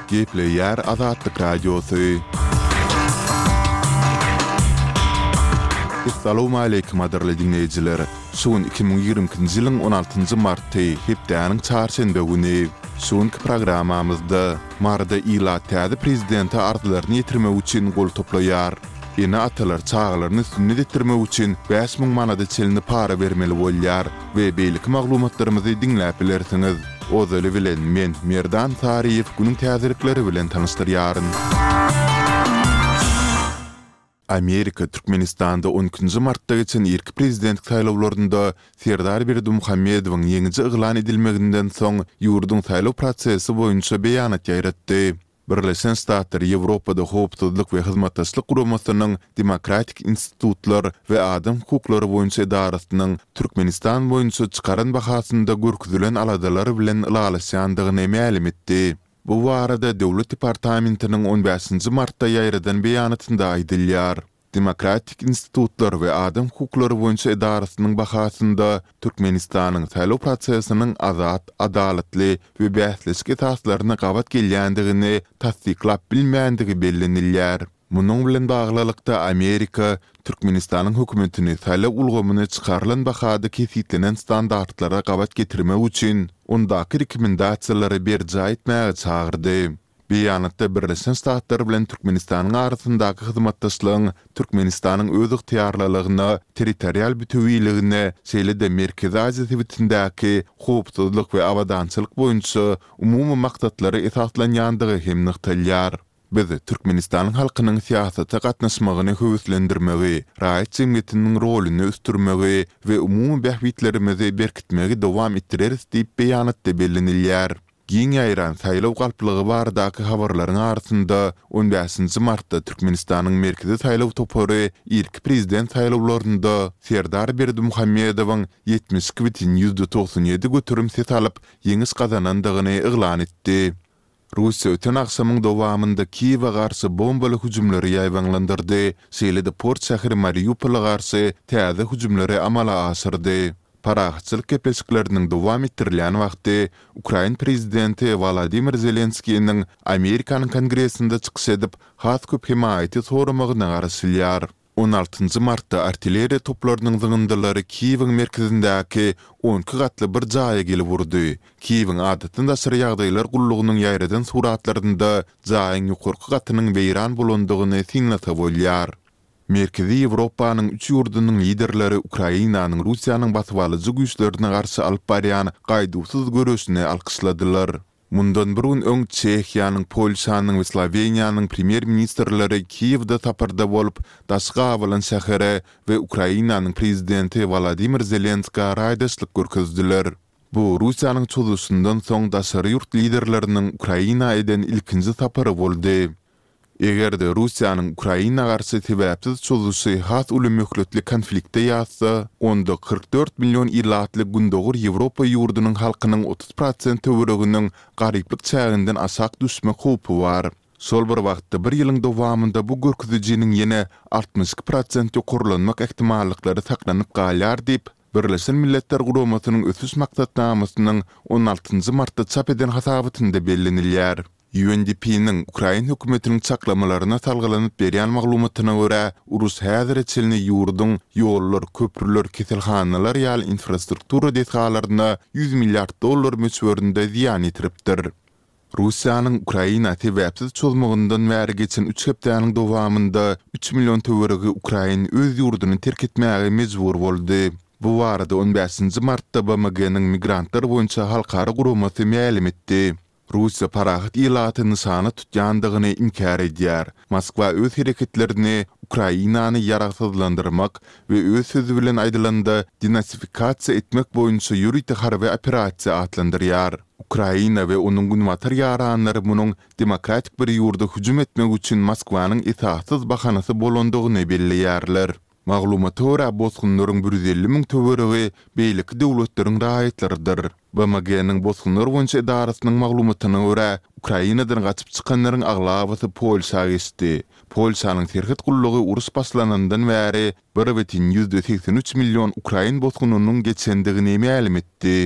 Gepleýär Azatlyk Radiosy. Essalawmaleýkim gadyrly diňleýjiler! Şu gün 2022-nji ýylyň on altynjy marty, hepdäniň çarşenbe güni. Şu günki programmamyzda, Maryda ilat täze prezidente arzlaryny ýetirmek üçin gol toplaýar. Ene-atalar çagalaryny sünnet etdirmek üçin 5000 manada çenli para bermeli bolýar we beýleki maglumatlarymyzy diňläp bilersiňiz. Ozaly bilen men, Merdan Saryýew günüň täzelikleri bilen tanyşdyrýaryn. Amerika Türkmenistanda on ikinji martda geçen irki prezidentlik saýlawlarynda Serdar Berdimuhamedowyň ýeňiji yglan edilmeginden soň ýurduň saýlaw prosesi boýunça beýanat ýaýratdy. Birleşen Ştatlar Ýewropada Howpsuzlyk we Hyzmatdaşlyk Guramasynyň Demokratik institutlar we adam hukuklary boýunça edarasynyň Türkmenistan boýunça çykaran bahasynda görkezilen aladalar bilen ylalaşýandygyny mälim etdi. Bu barada Döwlet departamentiniň on bäşinji martda ýaýradan beýanatynda aýdylýar. Demokratik institutlar we adam hukuklary boýunça edarasynyň bahasynda Türkmenistanyň saýlaw prosesiniň azat, adalatly we bäsleşik esaslaryna gabat gelýändigini tassyklap bilmändigi bellenilýär. Munuň bilen baglylykda, Amerika Türkmenistanyň hökümetini saýlaw ulgamyny çykarylan bahada kesgitlenen standartlara gabat getirmek üçin ondaky rekomendasiýalary berjaý etmäge çagyrdy. Beýanatda Birleşen Ştatlar bilen Türkmenistanyň arasyndaky hyzmatdaşlygyň Türkmenistanyň özygtyýarlylygyna, territorial bütewiligine, şeýle-de Merkezi Aziýa sebitindäki howpsuzlyk we abadançylyk boýunça umumy maksatlara esaslanýandygy hem nygtalýar. Biz Türkmenistanyň halkynyň syýasata gatnaşmagyny höweslendirmegi, raýat jemgyýetiniň roluny ösdürmegi we umumy bähbitlerimizi berkitmegi dowam etdireris diýip beýanatda bellenilýär. Giň ýaýran saýlaw galplygy baradaky habarlaryň arasynda, on bäşinji martda Türkmenistanyň Merkezi saýlaw topary irki prezident saýlawlarynda Serdar Berdimuhamedowyň 72 bitin 97% ses alyp, ýeňiş gazanandygyny yglan etdi. Russiýa öten agşamyň dowamynda Kiýewe garşy bombaly hüjümleri ýaýbaňlandyrdy, şeýle-de port şäheri Mariupola garşy täze hüjümleri amala aşyrdy. Parahatçylyk gepleşikleriniň dowam etdirilýän wagty, ukrain prezidenti Wolodymyr Zelenskiniň Amerikanyň Kongresinde çykyş edip, has köp hemaýaty soramagyna garaşylýar. On altynjy martda artilleriýa toplarynyň zyňyndylary Kiýewiň merkezindäki on iki gatly bir jaýa gelip urdy. Kiýewiň Adatdan daşary ýagdaýlar gullugynyň ýaýradan suratlarynda jaýyň ýokarky gatynyň weýran bolandygyny synlasa bolýar. Merkezi Ýewropanyň üç ýurdunyň liderleri Ukrainanyň Russiýanyň basybalyjy güýçlerine garşy alyp barýan gaýduwsyz göreşini alkyşladylar. Mundan bir gün öň Çehiýanyň, Polşanyň we Sloweniýanyň premýer-ministrleri Kiýewde saparda bolup, daşy gabalan şähere we Ukrainanyň prezidenti Wolodymyr Zelenskä raýdaşlyk görkezdiler. Bu Russiýanyň çozuşyndan soň daşary ýurt liderleriniň Ukraina eden ilkinji sapary boldy. Eger-de Russiýanyň Ukraina garşy sebäpsiz çozuşy has uly möhletli konflikte ýazsa, onda 44 million ilatly Gündogar Ýewropa ýurdunyň halkynyň 30 prosent töwereginiň garyplyk çäginden aşak düşmek howpy bar. Şol bir wagtda bir ýylyň dowamynda bu görkezijiniň ýene 62 prosent ýokarlanmak ähtimallyklary saklanyp galýar diýip, Birleşen Milletler Guramasynyň Ösüş Maksatnamasynyň on altynjy martda çap eden hasabatynda bellenilýär. UNDP-niň ukrain hökümetiniň çaklamalaryna salgylanyp berýän maglumatyna görä, uruş häzire çenli ýurduň ýollar, köprüler, keselhanalar ýaly infrastruktura desgalaryna 100 milliard dollar möçberinde zyýan ýetiripdir. Russiýanyň Ukraina sebäpsiz çozmagyndan bäri geçen üç hepdäniň dowamynda üç million töweregi ukrain öz ýurduny terk etmäge mejbur boldy. Bu barada on bäşinji martda BMG-niň Migrantlar boýunça halkara guramasy mälim etdi. Russiýa parahat ilaty nyşana tutýandygyny inkär edýär. Moskwa öz hereketlerini Ukrainany ýaragsyzlandyrmak we öz sözi bilen aýdylanda denasifikasiýa etmek boýunça ýörite harby operasiýa atlandyrýar. Ukraina we onuň günbatar ýaranlary munuň demokratik bir ýurda hüjüm etmek üçin Moskwanyň esassyz bahanasy bolandygyny belleýärler. Maglumata görä, bosgunlaryň 150 müň töweregi beýleki döwletleriň raýatlarydyr. BMG-niň Bosgunlar boýunça edarasynyň maglumatyna görä, Ukrainadan gaçyp çykanlaryň aglabasy Polşa geçdi. Polşanyň serhet gullugy uruş başlanandan bäri bir bütin 83 million ukrain bosgunynyň geçendigini mälim etdi.